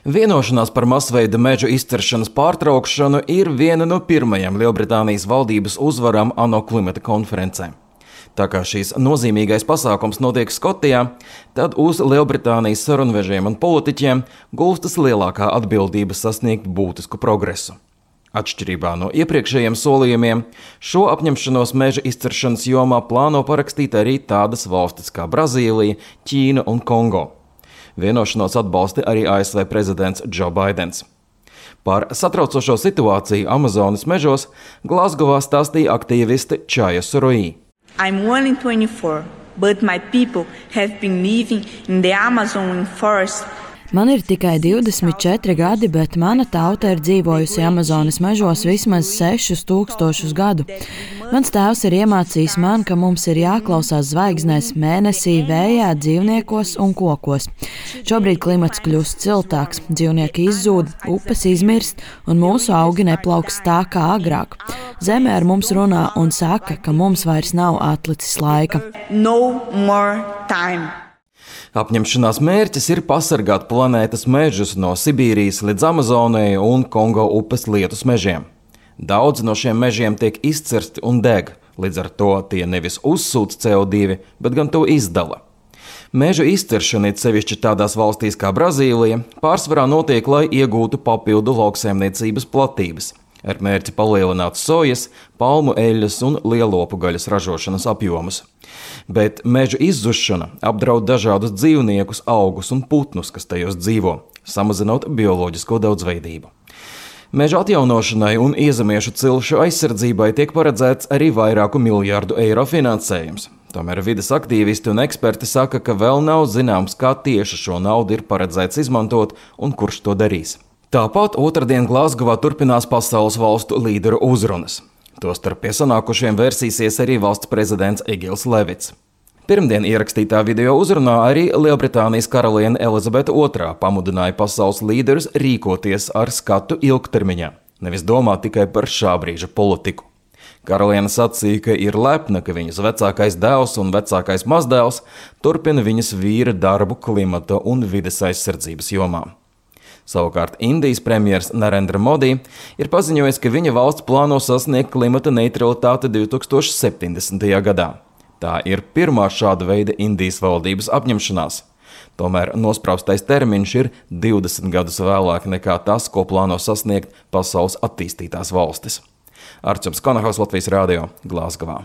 Vienošanās par masveida mežu izciršanas pārtraukšanu ir viena no pirmajām Lielbritānijas valdības uzvarām ANO klimata konferencē. Tā kā šīs nozīmīgais pasākums notiek Skotijā, tad uz Lielbritānijas sarunvežiem un politiķiem gulstas lielākā atbildība sasniegt būtisku progresu. Atšķirībā no iepriekšējiem solījumiem, šo apņemšanos meža izciršanas jomā plāno parakstīt arī tādas valstis kā Brazīlija, Ķīna un Kongo. Vienošanos atbalsta arī ASV prezidents Joe Baidens. Par satraucošo situāciju Amazonas mežos Glasgowā stāstīja aktīviste Čaja Suroī. I'm only 24, but my people have been living in the Amazon forest. Man ir tikai 24 gadi, bet mana tauta ir dzīvojusi Amazonas mežos vismaz 6000 gadu. Mans tēvs ir iemācījis man, ka mums ir jāklausās zvaigznēs, mēnesī, vējā, dzīvniekos un kokos. Šobrīd klimats kļūst siltāks, dzīvnieki izzūd, upes izmirst un mūsu augi neplauks tā kā agrāk. Zeme ar mums runā un saka, ka mums vairs nav atlicis laika. No more time. Apņemšanās mērķis ir pasargāt planētas mežus no Sibīrijas līdz Amazonai un Kongo upes lietus mežiem. Daudz no šiem mežiem tiek izcirsti un deg, līdz ar to tie nevis uzsūc CO2, bet gan to izdala. Mežu izciršana, it sevišķi tādās valstīs kā Brazīlija, pārsvarā notiek, lai iegūtu papildu lauksaimniecības platības, ar mērķi palielināt sojas, palmu eļļas un lielopu gaļas ražošanas apjomus. Bet meža izzušana apdraud dažādus dzīvniekus, augus un putnus, kas tajos dzīvo, samazinot bioloģisko daudzveidību. Meža atjaunošanai un iezemiešu cilšu aizsardzībai tiek paredzēts arī vairāku miljārdu eiro finansējums. Tomēr vides aktīvisti un eksperti saka, ka vēl nav zināms, kā tieši šo naudu ir paredzēts izmantot un kurš to darīs. Tāpat otrdien Glasgowā turpinās pasaules valstu līderu uzrunas. Tostarp pie sanākušiem vērsīsies arī valsts prezidents Egils Levits. Pirmdien ierakstītā video uzrunā arī Lielbritānijas karaliene Elizabete II pamudināja pasaules līderus rīkoties ar skatu ilgtermiņā, nevis domāt tikai par šā brīža politiku. Karaliene sacīja, ka ir lepna, ka viņas vecākais dēls un vecākais mazdēls turpina viņas vīra darbu klimata un vides aizsardzības jomā. Savukārt Indijas premjers Narendra Modi ir paziņojis, ka viņa valsts plāno sasniegt klimata neutralitāti 2070. gadā. Tā ir pirmā šāda veida Indijas valdības apņemšanās. Tomēr nospraustais termiņš ir 20 gadus vēlāk nekā tas, ko plāno sasniegt pasaules attīstītās valstis. Arčuns Konahos, Latvijas Rādio, Glasgowā.